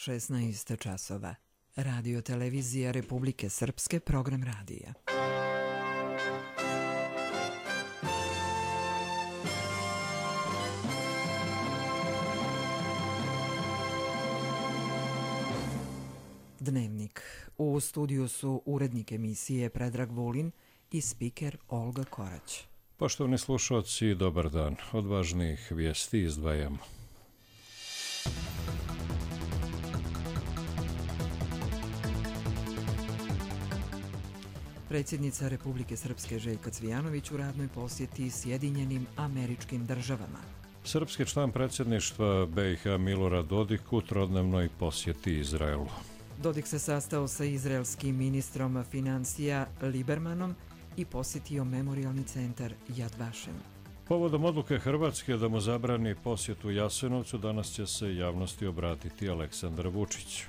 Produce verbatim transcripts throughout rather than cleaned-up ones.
šesnaest časova. Radio televizija Republike Srpske, program radija. Dnevnik. U studiju su urednik emisije Predrag Vulin i spiker Olga Korać. Poštovani slušalci, dobar dan. Od važnijih vijesti izdvajamo. Predsjednica Republike Srpske Željka Cvijanović u radnoj posjeti Sjedinjenim Američkim Državama. Srpski član predsjedništva B i H Milorad Dodik u trodnevnoj posjeti Izraelu. Dodik se sastao sa izraelskim ministrom financija Libermanom i posjetio memorijalni centar Yad Vashem. Povodom odluke Hrvatske da mu zabrani posjetu Jasenovcu, danas će se javnosti obratiti Aleksandar Vučić.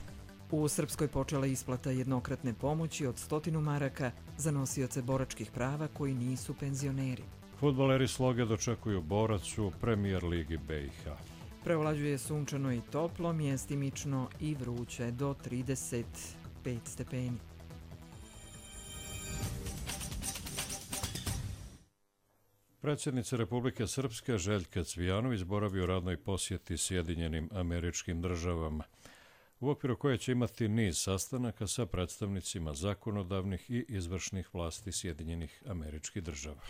U Srpskoj počela isplata jednokratne pomoći od stotinu maraka za nosioce boračkih prava koji nisu penzioneri. Fudbaleri Sloge dočekuju Borac u Premijer ligi B i H. Preovlađuje sunčano i toplo, mjestimično i vruće do trideset pet stepeni. Predsjednica Republike Srpske Željka Cvijanović boravi u radnoj posjeti Sjedinjenim Američkim Državama, u okviru koje će imati niz sastanaka sa predstavnicima zakonodavnih i izvršnih vlasti Sjedinjenih Američkih Država.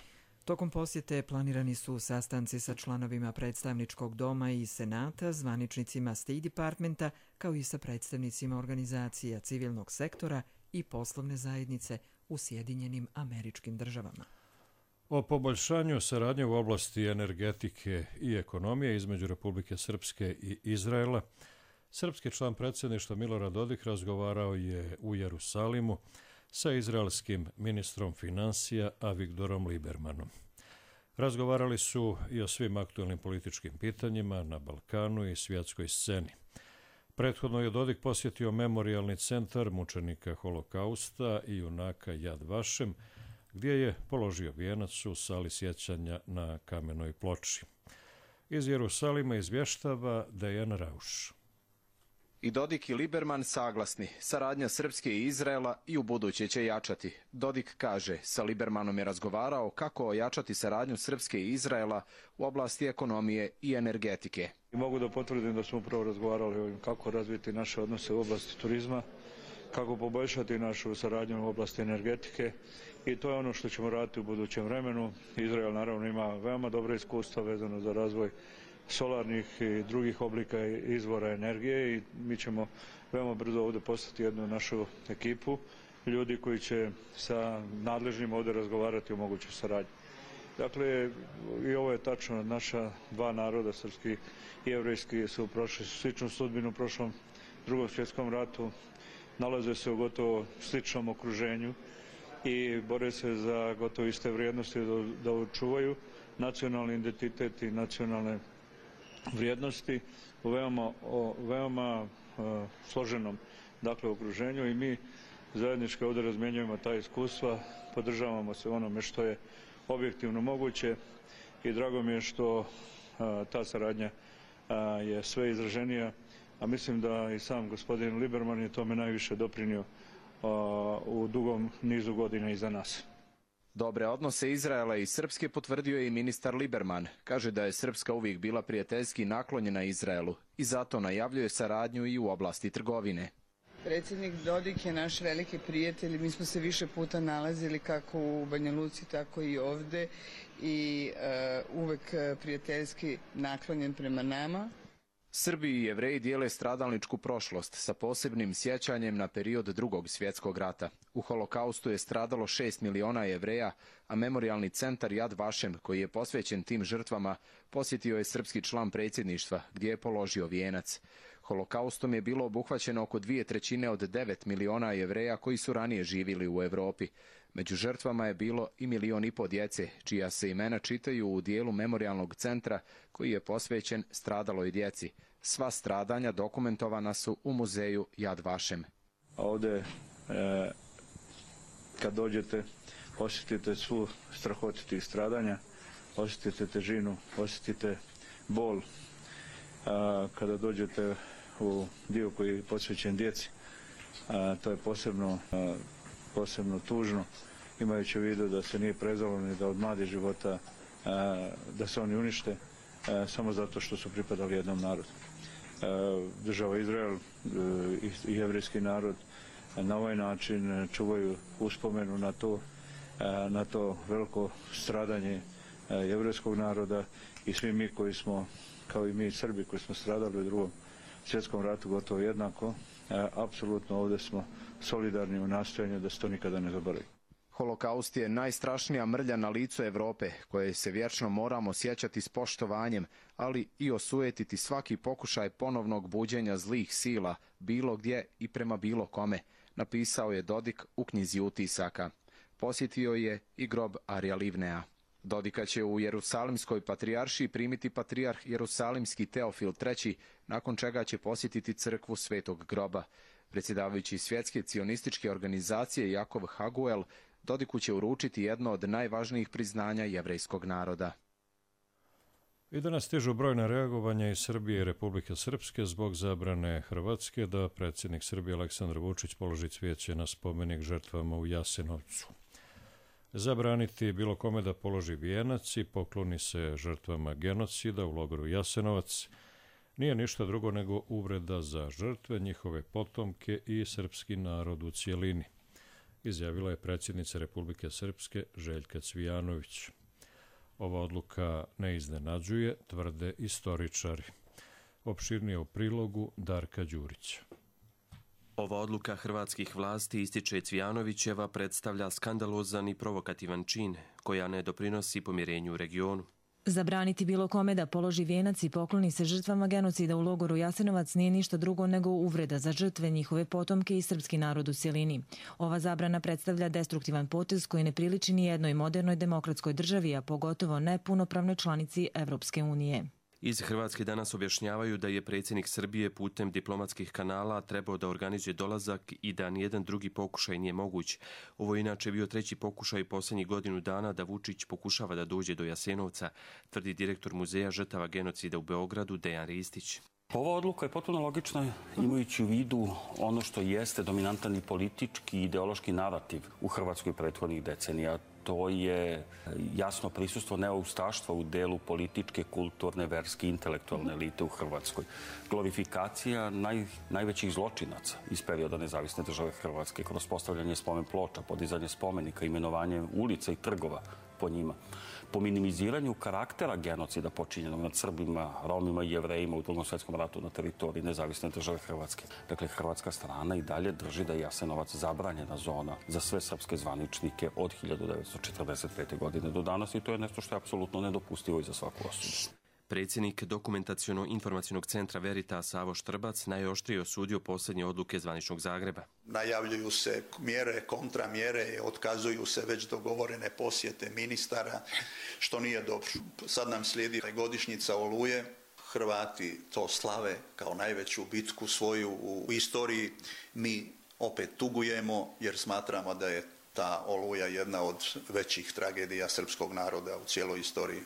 Tokom posjete planirani su sastanci sa članovima predstavničkog doma i senata, zvaničnicima State Departmenta, kao i sa predstavnicima organizacija civilnog sektora i poslovne zajednice u Sjedinjenim Američkim Državama. O poboljšanju saradnje u oblasti energetike i ekonomije između Republike Srpske i Izraela, srpski član predsjedništva Milorad Dodik razgovarao je u Jerusalimu sa izraelskim ministrom financija Avigdorom Libermanom. Razgovarali su i o svim aktualnim političkim pitanjima na Balkanu i svjetskoj sceni. Prethodno je Dodik posjetio memorijalni centar mučenika Holokausta i junaka Yad Vashem, gdje je položio vijenac u sali sjećanja na kamenoj ploči. Iz Jerusalima izvještava Dejan Rauš. I Dodik i Liberman saglasni, saradnja Srpske i Izraela i u buduće će jačati. Dodik kaže, sa Libermanom je razgovarao kako ojačati saradnju Srpske i Izraela u oblasti ekonomije i energetike. I mogu da potvrdim da smo upravo razgovarali o ovim kako razviti naše odnose u oblasti turizma, kako poboljšati našu saradnju u oblasti energetike i to je ono što ćemo raditi u budućem vremenu. Izrael naravno ima veoma dobre iskustva vezano za razvoj solarnih i drugih oblika izvora energije i mi ćemo veoma brzo ovdje postati jednu našu ekipu ljudi koji će sa nadležnim ovdje razgovarati o mogućoj saradnji. Dakle, i ovo je tačno, naša dva naroda, srpski i jevrejski, su prošli sličnu sudbinu u prošlom drugom svjetskom ratu, nalaze se u gotovo sličnom okruženju i bore se za gotovo iste vrijednosti da, da očuvaju nacionalni identitet i nacionalne vrijednosti u veoma, o, veoma uh, složenom dakle, okruženju i mi zajednički ovdje razmjenjujemo ta iskustva, podržavamo se onome što je objektivno moguće i drago mi je što uh, ta saradnja uh, je sve izraženija, a mislim da i sam gospodin Liberman je tome najviše doprinio uh, u dugom nizu godina iza nas. Dobre odnose Izraela i Srpske potvrdio je i ministar Liberman. Kaže da je Srpska uvijek bila prijateljski naklonjena Izraelu i zato najavljuje saradnju i u oblasti trgovine. Predsjednik Dodik je naš veliki prijatelj. Mi smo se više puta nalazili kako u Banja Luci, tako i ovdje i uh, uvek prijateljski naklonjen prema nama. Srbi i Jevreji dijele stradalničku prošlost sa posebnim sjećanjem na period Drugog svjetskog rata. U Holokaustu je stradalo šest miliona Jevreja, a memorijalni centar Yad Vashem, koji je posvećen tim žrtvama, posjetio je srpski član predsjedništva, gdje je položio vijenac. Holokaustom je bilo obuhvaćeno oko dvije trećine od devet miliona Jevreja koji su ranije živjeli u Europi. Među žrtvama je bilo i milion i po djece, čija se imena čitaju u dijelu memorijalnog centra koji je posvećen stradaloj djeci. Sva stradanja dokumentovana su u muzeju Yad Vashem. Ovdje, e, kad dođete, osjetite svu strahotu tih stradanja, osjetite težinu, osjetite bol. A, kada dođete u dio koji je posvećen djeci. A, to je posebno, a, posebno tužno, imajući u vidu da se nije prezalo ni da od mladih života a, da se oni unište a, samo zato što su pripadali jednom narodu. A, država Izrael a, i jevrijski narod a, na ovaj način čuvaju uspomenu na to, a, na to veliko stradanje a, jevrijskog naroda i svi mi koji smo, kao i mi Srbi koji smo stradali u drugom svjetskom ratu gotovo jednako, a, apsolutno ovdje smo solidarni u nastojanju da se to nikada ne zaboravi. Holokaust je najstrašnija mrlja na licu Europe, koje se vječno moramo sjećati s poštovanjem, ali i osujetiti svaki pokušaj ponovnog buđenja zlih sila, bilo gdje i prema bilo kome, napisao je Dodik u knjizi utisaka. Posjetio je i grob Arija Livnea. Dodika će u Jerusalimskoj patrijaršiji primiti patrijarh Jerusalimski Teofil treći, nakon čega će posjetiti crkvu Svetog groba. Predsjedavajući Svjetske cionističke organizacije Jakov Haguel Dodiku će uručiti jedno od najvažnijih priznanja jevrejskog naroda. I danas stižu brojna reagovanja iz Srbije i Republike Srpske zbog zabrane Hrvatske da predsjednik Srbije Aleksandar Vučić položi cvijeće na spomenik žrtvama u Jasenovcu. Zabraniti bilo kome da položi vijenac i pokloni se žrtvama genocida u logoru Jasenovac nije ništa drugo nego uvreda za žrtve, njihove potomke i srpski narod u cijelini, izjavila je predsjednica Republike Srpske Željka Cvijanović. Ova odluka ne iznenađuje, tvrde istoričari. Opširnije u prilogu Darka Đurića. Ova odluka hrvatskih vlasti, ističe Cvijanovićeva, predstavlja skandalozan i provokativan čin, koja ne doprinosi pomirenju u regionu. Zabraniti bilo kome da položi vijenac i pokloni se žrtvama genocida u logoru Jasenovac nije ništa drugo nego uvreda za žrtve, njihove potomke i srpski narod u cjelini. Ova zabrana predstavlja destruktivan potez koji ne priliči ni jednoj modernoj demokratskoj državi, a pogotovo ne punopravnoj članici Evropske unije. Iz Hrvatske danas objašnjavaju da je predsjednik Srbije putem diplomatskih kanala trebao da organizuje dolazak i da nijedan drugi pokušaj nije moguć. Ovo je inače bio treći pokušaj posljednjih godinu dana da Vučić pokušava da dođe do Jasenovca, tvrdi direktor Muzeja žrtava genocida u Beogradu Dejan Ristić. Ova odluka je potpuno logična imajući u vidu ono što jeste dominantan i politički i ideološki narativ u Hrvatskoj prethodnih decenija. To je jasno prisustvo neoustaštva u delu političke, kulturne, verske, intelektualne elite u Hrvatskoj. Glorifikacija naj, najvećih zločinaca iz perioda nezavisne države Hrvatske kroz postavljanje spomen ploča, podizanje spomenika, imenovanje ulica i trgova po njima. Po minimiziranju karaktera genocida počinjenog nad Srbima, Romima i Jevrejima u Drugom svjetskom ratu na teritoriji nezavisne države Hrvatske. Dakle, hrvatska strana i dalje drži da je Jasenovac zabranjena zona za sve srpske zvaničnike od hiljadu devetsto četrdeset pete. godine do danas i to je nešto što je apsolutno nedopustivo i za svaku osudu. Predsjednik Dokumentaciono-informacionog centra Veritas Savo Štrbac najoštrije osudio posljednje odluke zvaničnog Zagreba. Najavljuju se mjere, kontramjere, otkazuju se već dogovorene posjete ministara, što nije dobro. Sad nam slijedi godišnjica Oluje. Hrvati to slave kao najveću bitku svoju u istoriji. Mi opet tugujemo jer smatramo da je ta Oluja jedna od većih tragedija srpskog naroda u cijeloj istoriji.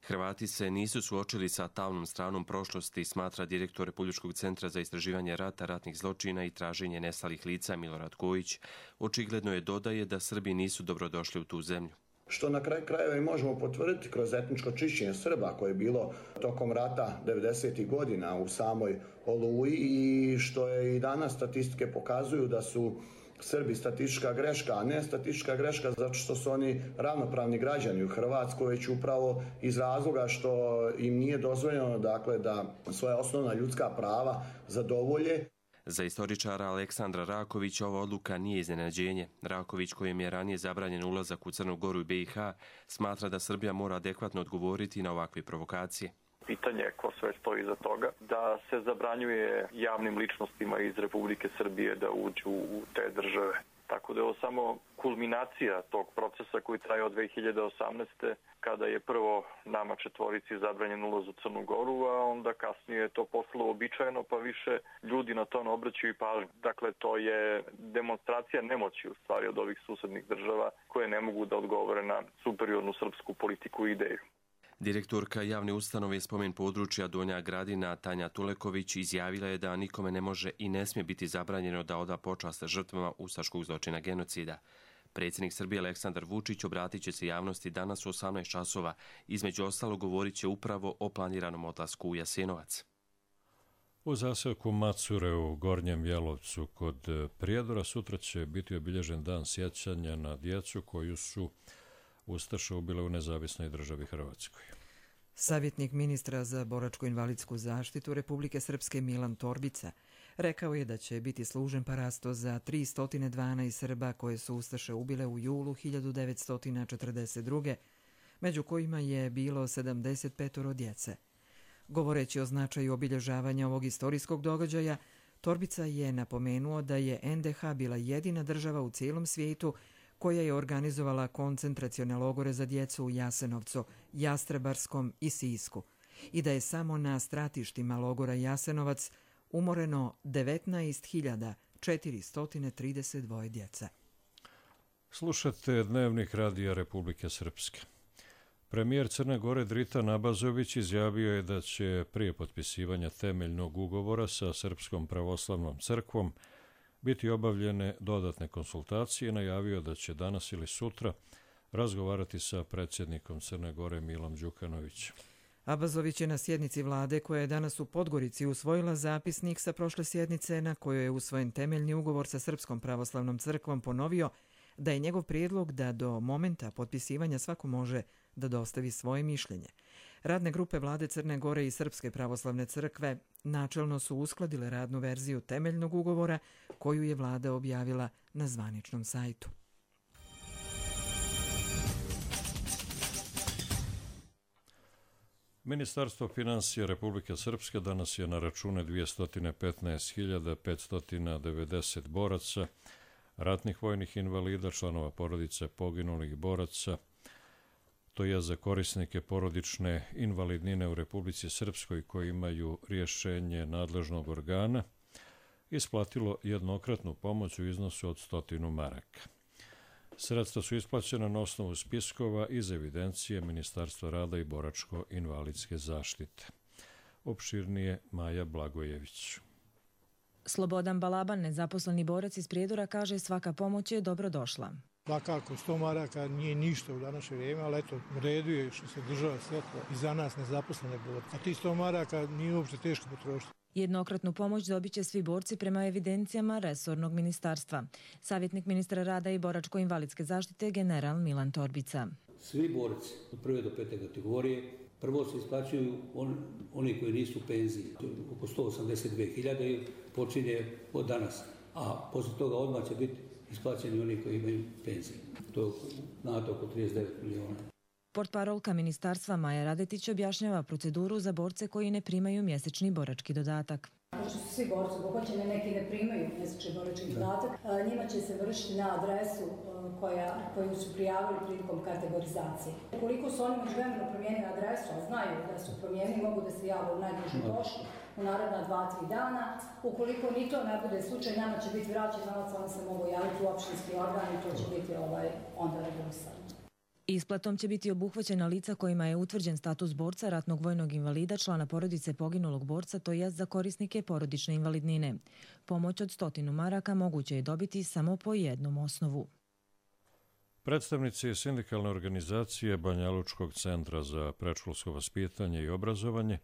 Hrvati se nisu suočili sa tamnom stranom prošlosti, smatra direktor Republičkog centra za istraživanje rata, ratnih zločina i traženje nestalih lica Milorad Kojić. Očigledno je dodaje da Srbi nisu dobrodošli u tu zemlju. Što na kraju krajeva i možemo potvrditi kroz etničko čišćenje Srba koje je bilo tokom rata devedesetih godina u samoj Oluji i što je i danas statistike pokazuju da su Srbi statistička greška, a ne statistička greška zato što su oni ravnopravni građani u Hrvatskoj, već upravo iz razloga što im nije dozvoljeno dakle, da svoja osnovna ljudska prava zadovolje. Za istoričara Aleksandra Rakovića ova odluka nije iznenađenje. Raković, kojem je ranije zabranjen ulazak u Crnu Goru i B i H, smatra da Srbija mora adekvatno odgovoriti na ovakve provokacije. Pitanje ko sve stoji iza toga, da se zabranjuje javnim ličnostima iz Republike Srbije da uđu u te države. Tako da je ovo samo kulminacija tog procesa koji traje od dve hiljade osamnaeste. kada je prvo nama četvorici zabranjen ulaz u Crnu Goru, a onda kasnije je to postalo običajeno, pa više ljudi na to ne obraćaju pažnju. Dakle, to je demonstracija nemoći u stvari od ovih susednih država koje ne mogu da odgovore na superiornu srpsku politiku i ideju. Direktorka javne ustanove Spomen područja Donja Gradina Tanja Tuleković izjavila je da nikome ne može i ne smije biti zabranjeno da oda počast žrtvama ustaškog zločina genocida. Predsjednik Srbije Aleksandar Vučić obratit će se javnosti danas u osamnaest časova. Između ostalo govorit će upravo o planiranom odlasku u Jasenovac. U zaselku Macure u Gornjem Jelovcu kod Prijedora sutra će biti obilježen dan sjećanja na djecu koju su ustaše ubile u nezavisnoj državi Hrvatskoj. Savjetnik ministra za boračko-invalidsku zaštitu Republike Srpske Milan Torbica rekao je da će biti služen parasto za tristo dvanaest Srba koje su ustaše ubile u julu hiljadu devetsto četrdeset druge, među kojima je bilo sedamdeset pet djece. Govoreći o značaju obilježavanja ovog istorijskog događaja, Torbica je napomenuo da je en de ha bila jedina država u cijelom svijetu koja je organizovala koncentracione logore za djecu u Jasenovcu, Jastrebarskom i Sisku i da je samo na stratištima logora Jasenovac umoreno devetnaest hiljada četiristo trideset dva djece. Slušate Dnevnik Radija Republike Srpske. Premijer Crne Gore Dritan Abazović izjavio je da će prije potpisivanja temeljnog ugovora sa Srpskom pravoslavnom crkvom biti obavljene dodatne konsultacije i najavio da će danas ili sutra razgovarati sa predsjednikom Crne Gore Milom Đukanovićem. Abazović je na sjednici vlade koja je danas u Podgorici usvojila zapisnik sa prošle sjednice na kojoj je usvojen temeljni ugovor sa Srpskom pravoslavnom crkvom ponovio da je njegov prijedlog da do momenta potpisivanja svako može da dostavi svoje mišljenje. Radne grupe vlade Crne Gore i Srpske pravoslavne crkve načelno su uskladile radnu verziju temeljnog ugovora koju je vlada objavila na zvaničnom sajtu. Ministarstvo finansija Republike Srpske danas je na račune dvjesto petnaest hiljada petsto devedeset boraca, ratnih vojnih invalida, članova porodice poginulih boraca, to je za korisnike porodične invalidnine u Republici Srpskoj koji imaju rješenje nadležnog organa, isplatilo jednokratnu pomoć u iznosu od stotinu maraka. Sredstva su isplaćena na osnovu spiskova iz evidencije Ministarstva rada i boračko-invalidske zaštite. Opširnije Maja Blagojević. Slobodan Balaban, nezaposleni borac iz Prijedora, kaže svaka pomoć je dobro došla. Svakako, sto maraka nije ništa u današnje vrijeme, ali eto, u redu je što se država sjetila i za nas nezaposlene borce. A ti sto maraka nije uopšte teško potrošiti. Jednokratnu pomoć dobit će svi borci prema evidencijama resornog ministarstva. Savjetnik ministra rada i boračko-invalidske zaštite general Milan Torbica. Svi borci od prve do pete kategorije prvo se isplaćuju on, oni koji nisu u penziji. Oko sto osamdeset dvije hiljade počinje od danas, a posle toga odmah će biti isplaćeni oni koji imaju penzije. To je znate oko trideset devet miliona. Portparolka ministarstva Maja Radetić objašnjava proceduru za borce koji ne primaju mjesečni borački dodatak. Pošto su svi borci obuhvaćeni, neki ne primaju mjesečni borački dodatak, njima će se vršiti na adresu koja, koju su prijavili prilikom kategorizacije. Ukoliko su oni međuvremeno promijenili adresu, a znaju da su promijenili, mogu da se jave u najdužu poštu u naredna dva, tri dana. Ukoliko ni to ne bude slučaj, nama će biti vraćen novac, oni se mogu javiti u opštinski organ i to će biti ovaj, onda regulisano. Isplatom će biti obuhvaćena lica kojima je utvrđen status borca, ratnog vojnog invalida, člana porodice poginulog borca, to jest za korisnike porodične invalidnine. Pomoć od stotinu maraka moguće je dobiti samo po jednom osnovu. Predstavnici sindikalne organizacije Banjalučkog centra za predškolsko vaspitanje i obrazovanje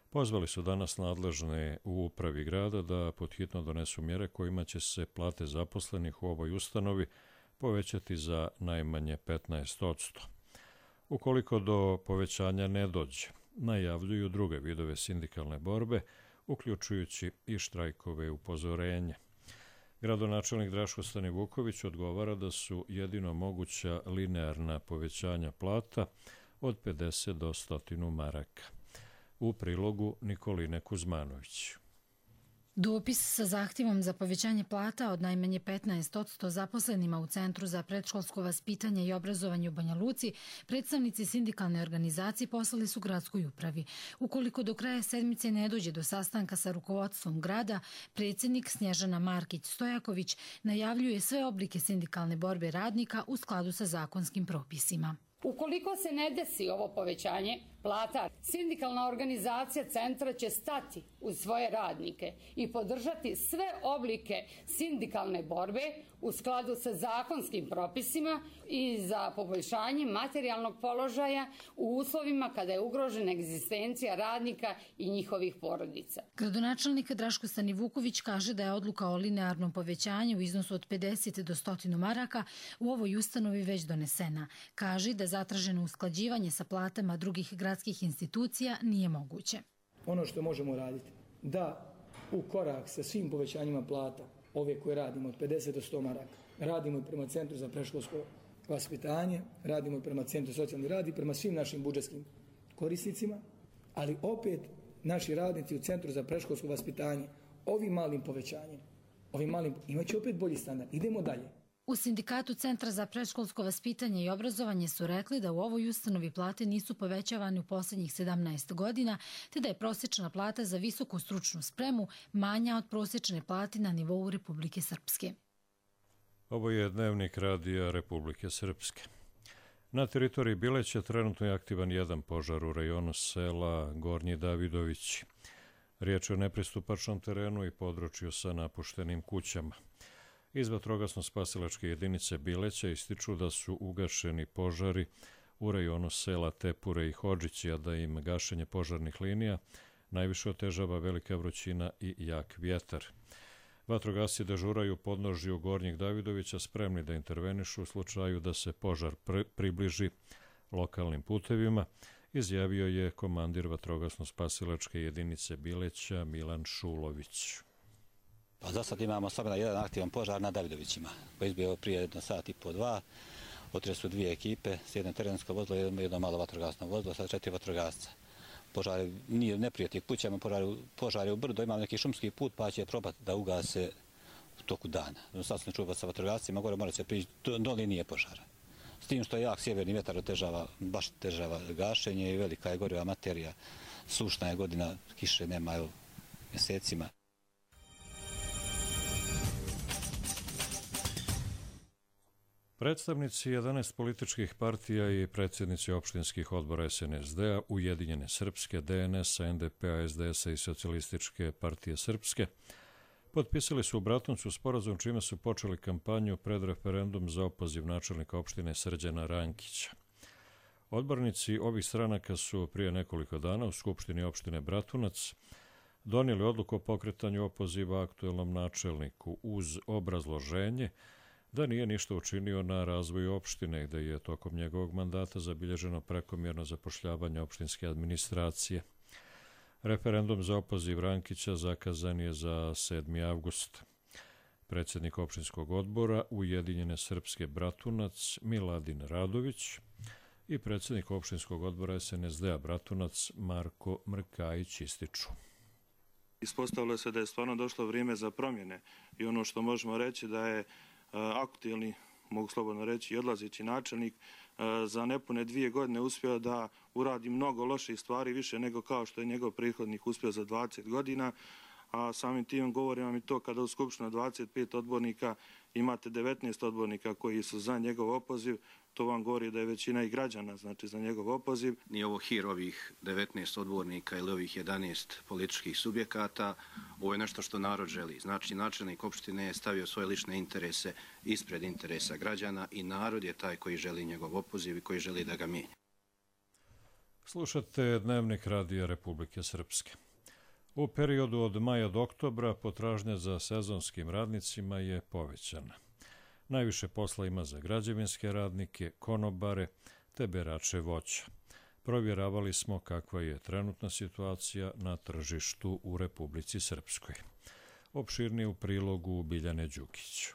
pozvali su danas nadležne u upravi grada da podhitno donesu mjere kojima će se plate zaposlenih u ovoj ustanovi povećati za najmanje petnaest posto. Ukoliko do povećanja ne dođe, najavljuju druge vidove sindikalne borbe, uključujući i štrajkove upozorenja. Gradonačelnik Draško Stanivuković odgovara da su jedino moguća linearna povećanja plata od pedeset do sto maraka. U prilogu Nikoline Kuzmanović. Dopis sa zahtjevom za povećanje plata od najmanje petnaest posto zaposlenima u Centru za predškolsko vaspitanje i obrazovanje u Banja Luci predstavnici sindikalne organizacije poslali su gradskoj upravi. Ukoliko do kraja sedmice ne dođe do sastanka sa rukovodstvom grada, predsjednik Snježana Markić-Stojaković najavljuje sve oblike sindikalne borbe radnika u skladu sa zakonskim propisima. Ukoliko se ne desi ovo povećanje, plata. Sindikalna organizacija centra će stati uz svoje radnike i podržati sve oblike sindikalne borbe u skladu sa zakonskim propisima i za poboljšanje materijalnog položaja u uslovima kada je ugrožena egzistencija radnika i njihovih porodica. Gradonačelnik Draško Stanivuković kaže da je odluka o linearnom povećanju u iznosu od pedeset do sto maraka u ovoj ustanovi već donesena. Kaže da zatraženo usklađivanje sa platama drugih gradskih institucija nije moguće. Ono što možemo raditi, da u korak sa svim povećanjima plata, ove koje radimo od pedeset do sto maraka, radimo i prema Centru za predškolsko vaspitanje, radimo i prema Centru socijalni rad i prema svim našim budžetskim korisnicima, ali opet naši radnici u Centru za predškolsko vaspitanje ovim malim povećanjem, ovim malim, imaće opet bolji standard. Idemo dalje. U Sindikatu Centra za predškolsko vaspitanje i obrazovanje su rekli da u ovoj ustanovi plate nisu povećavane u posljednjih sedamnaest godina, te da je prosječna plata za visoku stručnu spremu manja od prosječne plate na nivou Republike Srpske. Ovo je dnevnik radija Republike Srpske. Na teritoriji Bileća trenutno je aktivan jedan požar u rajonu sela Gornji Davidovići. Riječ je o nepristupačnom terenu i području sa napuštenim kućama. Iz vatrogasno-spasilačke jedinice Bileća ističu da su ugašeni požari u rajonu sela Tepure i Hodžići, a da im gašenje požarnih linija najviše otežava velika vrućina i jak vjetar. Vatrogasci dežuraju u podnožju Gornjeg Davidovića, spremni da intervenišu u slučaju da se požar približi lokalnim putevima, izjavio je komandir vatrogasno-spasilačke jedinice Bileća Milan Šulović. Pa za sad imamo samo jedan aktivan požar na Davidovićima, koji je izbio prije jedno sat i po dva. Otišle su dvije ekipe, s jedno terensko vozilo i jedno malo vatrogasno vozilo, sad četiri vatrogasca. Požar nije neprijatnih kućama, požar je u brdo, imamo neki šumski put pa će probati da ugase u toku dana. Sad sam čuva sa vatrogascima, gore mora se prići do, do linije požara. S tim što je jak sjeverni vjetar otežava, baš otežava gašenje i velika je goriva materija. Sušna je godina, kiše nema evo, mjesecima. Predstavnici jedanaest političkih partija i predsjednici opštinskih odbora S N S D-a, Ujedinjene Srpske, D N S-a, N D P-a, S D S-a i Socijalističke partije Srpske potpisali su u Bratuncu sporazum čime su počeli kampanju pred referendum za opoziv načelnika opštine Srđana Rankića. Odbornici ovih stranaka su prije nekoliko dana u Skupštini opštine Bratunac donijeli odluku o pokretanju opoziva aktuelnom načelniku uz obrazloženje da nije ništa učinio na razvoju opštine i da je tokom njegovog mandata zabilježeno prekomjerno zapošljavanje opštinske administracije. Referendum za opoziv Rankića zakazan je za sedmi avgust. Predsjednik opštinskog odbora Ujedinjene Srpske Bratunac Miladin Radović i predsjednik opštinskog odbora S N S D-a Bratunac Marko Mrkajić ističu. Ispostavilo se da je stvarno došlo vrijeme za promjene i ono što možemo reći da je aktuelni, mogu slobodno reći, i odlazeći načelnik za nepune dvije godine uspio da uradi mnogo loših stvari, više nego kao što je njegov prethodnik uspio za dvadeset godina, a samim tim govorim vam i to kada u Skupštini dvadeset pet odbornika imate devetnaest odbornika koji su za njegov opoziv, to vam govori da je većina i građana znači za njegov opoziv. Nije ovo hir ovih devetnaest odbornika ili ovih jedanaest političkih subjekata, ovo je nešto što narod želi. Znači, načelnik opštine je stavio svoje lične interese ispred interesa građana i narod je taj koji želi njegov opoziv i koji želi da ga mijenja. Slušate dnevnik radija Republike Srpske. U periodu od maja do oktobra potražnja za sezonskim radnicima je povećana. Najviše posla ima za građevinske radnike, konobare te berače voća. Provjeravali smo kakva je trenutna situacija na tržištu u Republici Srpskoj. Opširnije u prilogu Biljane Đukić.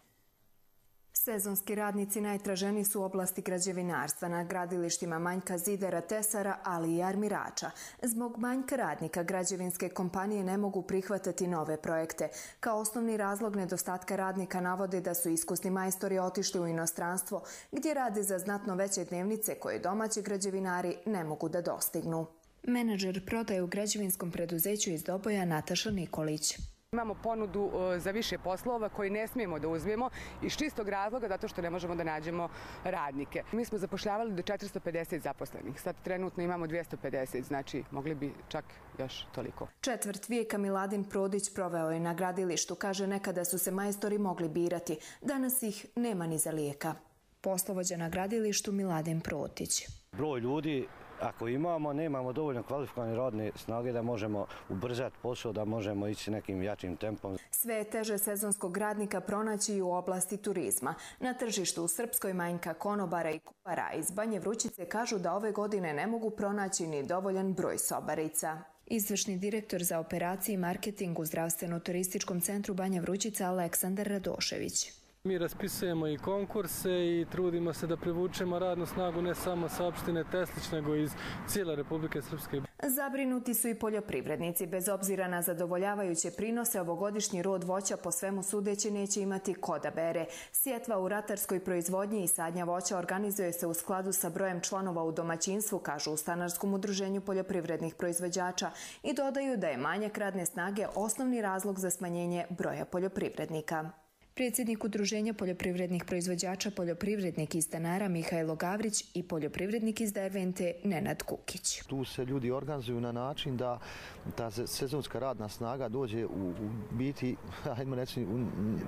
Sezonski radnici najtraženiji su u oblasti građevinarstva, na gradilištima manjka zidara, tesara, ali i armirača. Zbog manjka radnika građevinske kompanije ne mogu prihvatati nove projekte. Kao osnovni razlog nedostatka radnika navode da su iskusni majstori otišli u inostranstvo, gdje rade za znatno veće dnevnice koje domaći građevinari ne mogu da dostignu. Menadžer prodaje u građevinskom preduzeću iz Doboja Nataša Nikolić. Imamo ponudu za više poslova koji ne smijemo da uzmemo iz čistog razloga zato što ne možemo da nađemo radnike. Mi smo zapošljavali do četiristo pedeset zaposlenih, sad trenutno imamo dvjesto pedeset, znači mogli bi čak još toliko. Četvrt vijeka Miladin Prodić proveo je na gradilištu, kaže nekada su se majstori mogli birati, danas ih nema ni za lijeka. Poslovođa na gradilištu Miladin Protić. Broj ljudi ako imamo, nemamo dovoljno kvalifikovane radne snage da možemo ubrzati posao, da možemo ići nekim jačim tempom. Sve je teže sezonskog radnika pronaći i u oblasti turizma. Na tržištu u Srpskoj manjka konobara i kuhara. Iz Banje Vrućice kažu da ove godine ne mogu pronaći ni dovoljan broj sobarica. Izvršni direktor za operacije i marketing u Zdravstveno-turističkom centru Banja Vrućica Aleksandar Radošević. Mi raspisujemo i konkurse i trudimo se da privučemo radnu snagu ne samo sa opštine Teslić, nego iz cijele Republike Srpske. Zabrinuti su i poljoprivrednici. Bez obzira na zadovoljavajuće prinose, ovogodišnji rod voća po svemu sudeći neće imati ko da bere. Sjetva u ratarskoj proizvodnji i sadnja voća organizuje se u skladu sa brojem članova u domaćinstvu, kažu u Stanarskom udruženju poljoprivrednih proizvođača, i dodaju da je manjak radne snage osnovni razlog za smanjenje broja poljoprivrednika. Predsjednik Udruženja poljoprivrednih proizvođača, poljoprivrednik iz Stanara Mihajlo Gavrić i poljoprivrednik iz Dervente Nenad Kukić. Tu se ljudi organizuju na način da ta sezonska radna snaga dođe u, u biti, ajmo reći,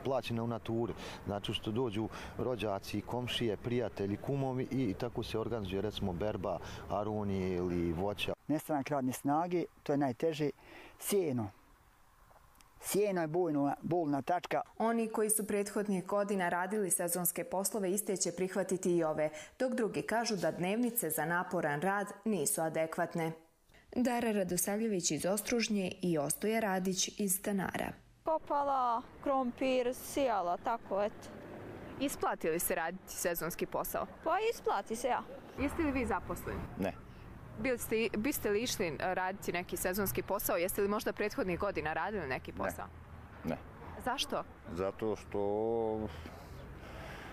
plaćena u naturi. Znači što dođu rođaci, komšije, prijatelji, kumovi i tako se organizuje recimo berba, aronije ili voća. Nestanak radne snage, to je najteže, sjeno. Sjeno je bolna, bolna tačka. Oni koji su prethodnih godina radili sezonske poslove iste će prihvatiti i ove, dok drugi kažu da dnevnice za naporan rad nisu adekvatne. Dara Radosavljević iz Ostružnje i Ostoja Radić iz Stanara. Kopala, krompir, sijala, tako eto. Isplati li se raditi sezonski posao? Pa isplati se, ja. Jeste li vi zaposleni? Ne. Biste, biste li išli raditi neki sezonski posao? Jeste li možda prethodnih godina radili neki posao? Ne. Ne. Zašto? Zato što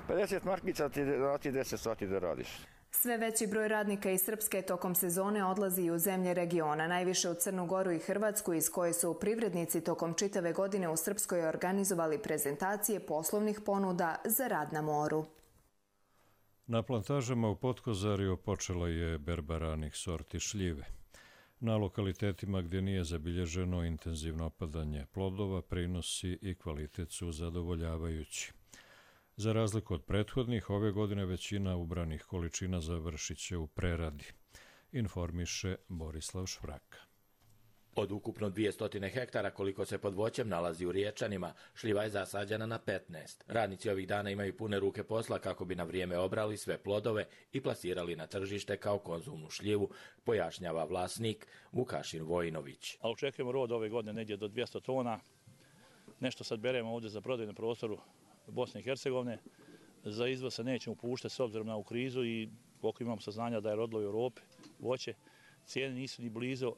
pedeset markica ti dati deset sati da radiš. Sve veći broj radnika iz Srpske tokom sezone odlazi i u zemlje regiona, najviše u Crnu Goru i Hrvatsku, iz koje su privrednici tokom čitave godine u Srpskoj organizovali prezentacije poslovnih ponuda za rad na moru. Na plantažama u Potkozariju počela je berba ranih sorti šljive. Na lokalitetima gdje nije zabilježeno intenzivno opadanje plodova, prinosi i kvalitet su zadovoljavajući. Za razliku od prethodnih, ove godine većina ubranih količina završit će u preradi, informiše Borislav Švraka. Od ukupno dvjesto hektara koliko se pod voćem nalazi u Riječanima, šljiva je zasađena na petnaest. Radnici ovih dana imaju pune ruke posla kako bi na vrijeme obrali sve plodove i plasirali na tržište kao konzumnu šljivu, pojašnjava vlasnik Vukašin Vojinović. A očekujemo rod ove godine negdje do dvjesto tona. Nešto sad beremo ovdje za prodaju na prostoru Bosne i Hercegovine. Za izvoz se nećemo upuštati s obzirom na ovu krizu i koliko imamo saznanja da je rodilo u Europi voće, cijene nisu ni blizu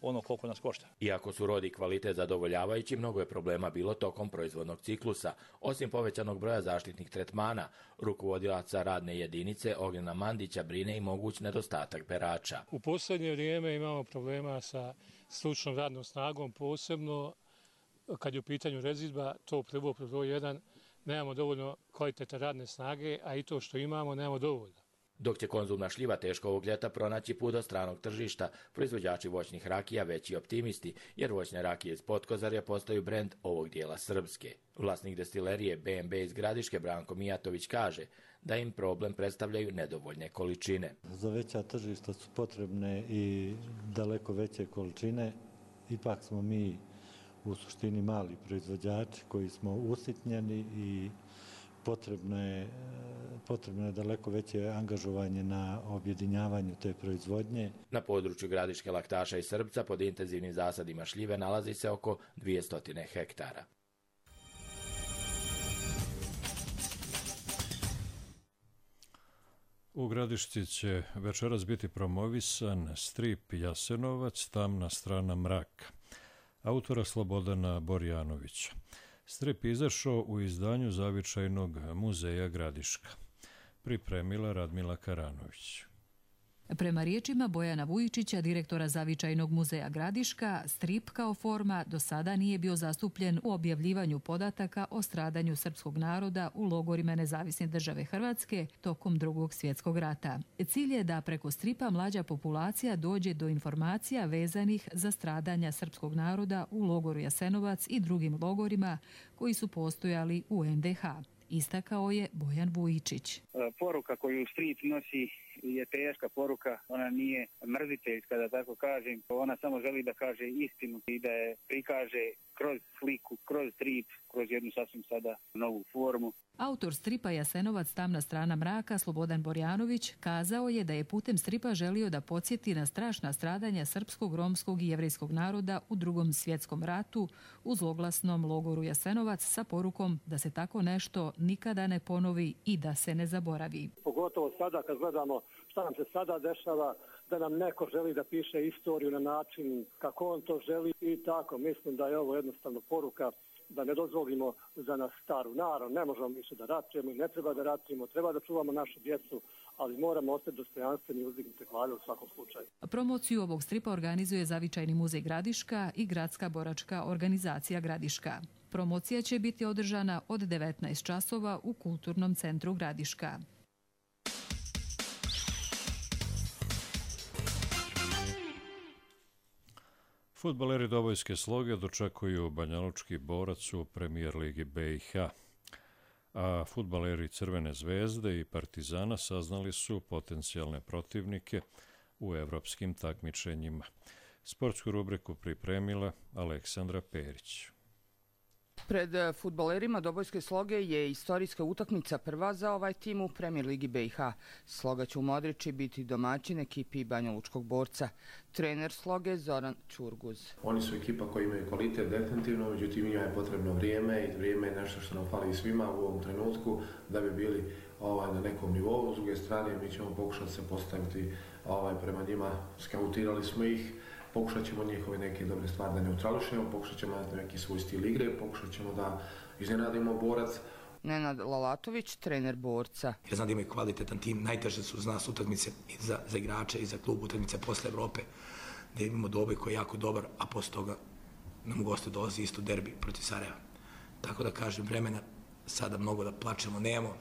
ono koliko nas košta. Iako su rod i kvalitet zadovoljavajući, mnogo je problema bilo tokom proizvodnog ciklusa. Osim povećanog broja zaštitnih tretmana, rukovodilaca radne jedinice Ognjena Mandića brine i moguć nedostatak berača. U posljednje vrijeme imamo problema sa stručnom radnom snagom, posebno kad je u pitanju rezidba, to prvo broj jedan, nemamo dovoljno kvalitete radne snage, a i to što imamo nemamo dovoljno. Dok će konzumna šljiva teško ovog ljeta pronaći put do stranog tržišta, proizvođači voćnih rakija veći optimisti, jer voćne rakije iz Potkozarja postaju brend ovog dijela Srpske. Vlasnik destilerije B M B iz Gradiške Branko Mijatović kaže da im problem predstavljaju nedovoljne količine. Za veća tržišta su potrebne i daleko veće količine. Ipak smo mi u suštini mali proizvođači koji smo usitnjeni i potrebno je, potrebno je daleko veće angažovanje na objedinjavanju te proizvodnje. Na području Gradiške Laktaša i Srbca pod intenzivnim zasadima šljive nalazi se oko dvjesto hektara. U Gradišci će večeras biti promovisan strip Jasenovac, tamna strana mraka, autora Slobodana Borjanovića. Strip izašao u izdanju Zavičajnog muzeja Gradiška. Pripremila Radmila Karanović. Prema riječima Bojana Vujičića, direktora Zavičajnog muzeja Gradiška, strip kao forma do sada nije bio zastupljen u objavljivanju podataka o stradanju srpskog naroda u logorima Nezavisne države Hrvatske tokom Drugog svjetskog rata. Cilj je da preko stripa mlađa populacija dođe do informacija vezanih za stradanja srpskog naroda u logoru Jasenovac i drugim logorima koji su postojali u en de ha. Istakao je Bojan Vujičić. Poruka koju strip nosi je teška poruka, ona nije mrziteljska, da tako kažem. Ona samo želi da kaže istinu i da je prikaže kroz sliku, kroz strip, kroz jednu sasvim sada novu formu. Autor stripa Jasenovac, tamna strana mraka, Slobodan Borjanović, kazao je da je putem stripa želio da podsjeti na strašna stradanja srpskog, romskog i jevrejskog naroda u Drugom svjetskom ratu u zloglasnom logoru Jasenovac sa porukom da se tako nešto nikada ne ponovi i da se ne zaboravi. Pogotovo sada kad gledamo šta nam se sada dešava, da nam neko želi da piše istoriju na način kako on to želi i tako. Mislim da je ovo jednostavno poruka da ne dozvolimo za nas staru. Naravno, ne možemo više da ratujemo i ne treba da ratujemo, treba da čuvamo našu djecu, ali moramo ostati dostojanstveni i uzdignute glave u svakom slučaju. Promociju ovog stripa organizuje Zavičajni muzej Gradiška i Gradska boračka organizacija Gradiška. Promocija će biti održana od devetnaest časova u Kulturnom centru Gradiška. Fudbaleri Dobojske Sloge dočekuju Banjalučki Borac u Premijer ligi be i ha, a fudbaleri Crvene zvezde i Partizana saznali su potencijalne protivnike u evropskim takmičenjima. Sportsku rubriku pripremila Aleksandra Perić. Pred fudbalerima Dobojske Sloge je istorijska utakmica prva za ovaj tim u Premijer ligi be i ha. Sloga će u Modriči biti domaćin ekipi Banjalučkog Borca. Trener Sloge Zoran Čurguz. Oni su ekipa koji imaju kvalitet definitivno, međutim njima je potrebno vrijeme i vrijeme je nešto što nam fali svima u ovom trenutku da bi bili ovaj, na nekom nivou. S druge strane mi ćemo pokušati se postaviti ovaj, prema njima, skautirali smo ih. Pokušat ćemo njihove neke dobre stvari da neutrališemo, pokušat ćemo na neki svoj stil igre, pokušat ćemo da iznenadimo Borac. Nenad Lalatović, trener Borca. Ja znam da imaju kvalitetan tim, najteže su za nas utakmice i za, za igrače i za klub utakmice posle Evrope, gdje imamo Doboj koji je jako dobar, a posle toga nam u goste dolazi isto derbi protiv Sarajeva. Tako da kažem, vremena sada mnogo da plačemo nemamo.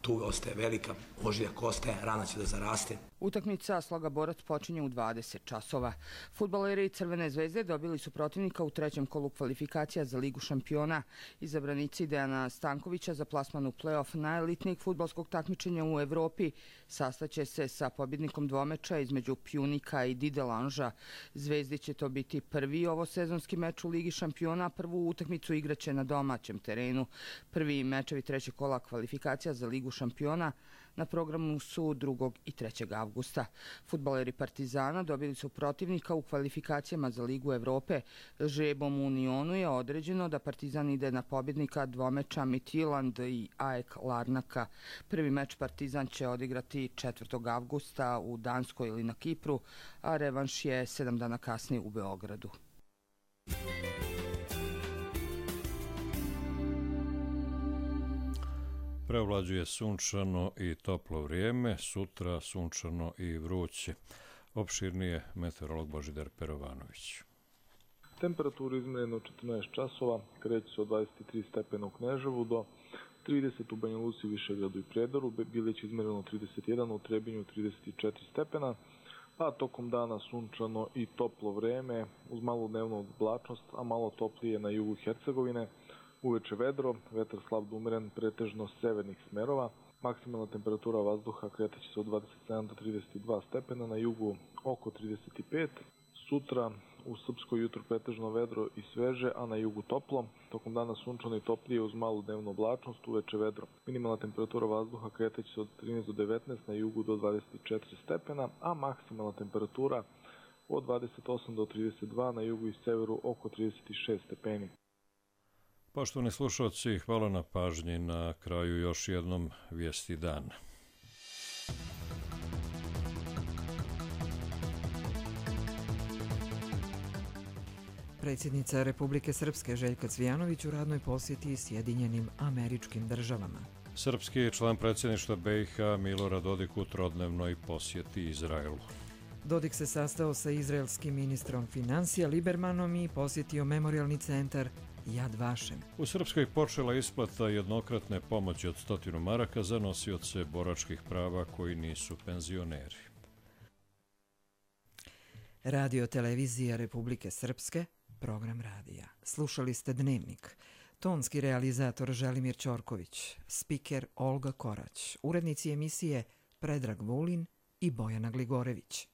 Tuga ostaje velika, ožiljak ostaje, rana će da zaraste. Utakmica Sloga Borac počinje u dvadeset časova. Fudbaleri Crvene zvezde dobili su protivnika u trećem kolu kvalifikacija za Ligu šampiona. Izabranici Dejana Stankovića za plasman u play-off najelitnijeg fudbalskog takmičenja u Evropi sastaće se sa pobjednikom dvomeča između Pjunika i Didelanža. Zvezdi će to biti prvi ovosezonski meč u Ligi šampiona, prvu utakmicu igraće na domaćem terenu. Prvi mečevi trećeg kola kvalifikacija za Ligu šampiona na programu su drugog i trećeg avgusta. Fudbaleri Partizana dobili su protivnika u kvalifikacijama za Ligu Evrope. Žrebom u Unionu je određeno da Partizan ide na pobjednika dvomeča Midtjylland i A E K Larnaka. Prvi meč Partizan će odigrati četvrtog avgusta u Danskoj ili na Kipru, a revanš je sedam dana kasnije u Beogradu. Preovlađuje sunčano i toplo vrijeme, sutra sunčano i vruće. Opširnije meteorolog Božidar Perovanović. Temperaturu izmjereno četrnaest časova, kreće se od dvadeset tri stepena u Kneževu do trideset u Banja Luci, Višegradu i Prijedoru, Bileć izmjereno trideset jedan, u Trebinju trideset četiri stepena, a tokom dana sunčano i toplo vrijeme, uz malu dnevnu oblačnost, a malo toplije na jugu Hercegovine. Uveče vedro, vetar slab do umeren, pretežno severnih smerova. Maksimalna temperatura vazduha kretaće se od dvadeset sedam do trideset dva stepena, na jugu oko trideset pet. Sutra u Srpskoj jutro pretežno vedro i sveže, a na jugu toplo. Tokom dana sunčano i toplije uz malu dnevnu oblačnost, uveče vedro. Minimalna temperatura vazduha kretaće se od trinaest do devetnaest, na jugu do dvadeset četiri stepena, a maksimalna temperatura od dvadeset osam do trideset dva, na jugu i severu oko trideset šest stepeni. Poštovani slušalci, hvala na pažnji. Na kraju još jednom vijesti dana. Predsjednica Republike Srpske Željka Cvijanović u radnoj posjeti Sjedinjenim Američkim Državama. Srpski član predsjedništva B i H Milorad Dodik u trodnevnoj posjeti Izraelu. Dodik se sastao sa izraelskim ministrom financija Libermanom i posjetio memorialni centar Yad Vashem. U Srpskoj počela isplata jednokratne pomoći od stotinu maraka za nosioce boračkih prava koji nisu penzioneri. Radio televizija Republike Srpske, program radija. Slušali ste Dnevnik. Tonski realizator Želimir Ćorković, spiker Olga Korać, urednici emisije Predrag Vulin i Bojana Gligorević.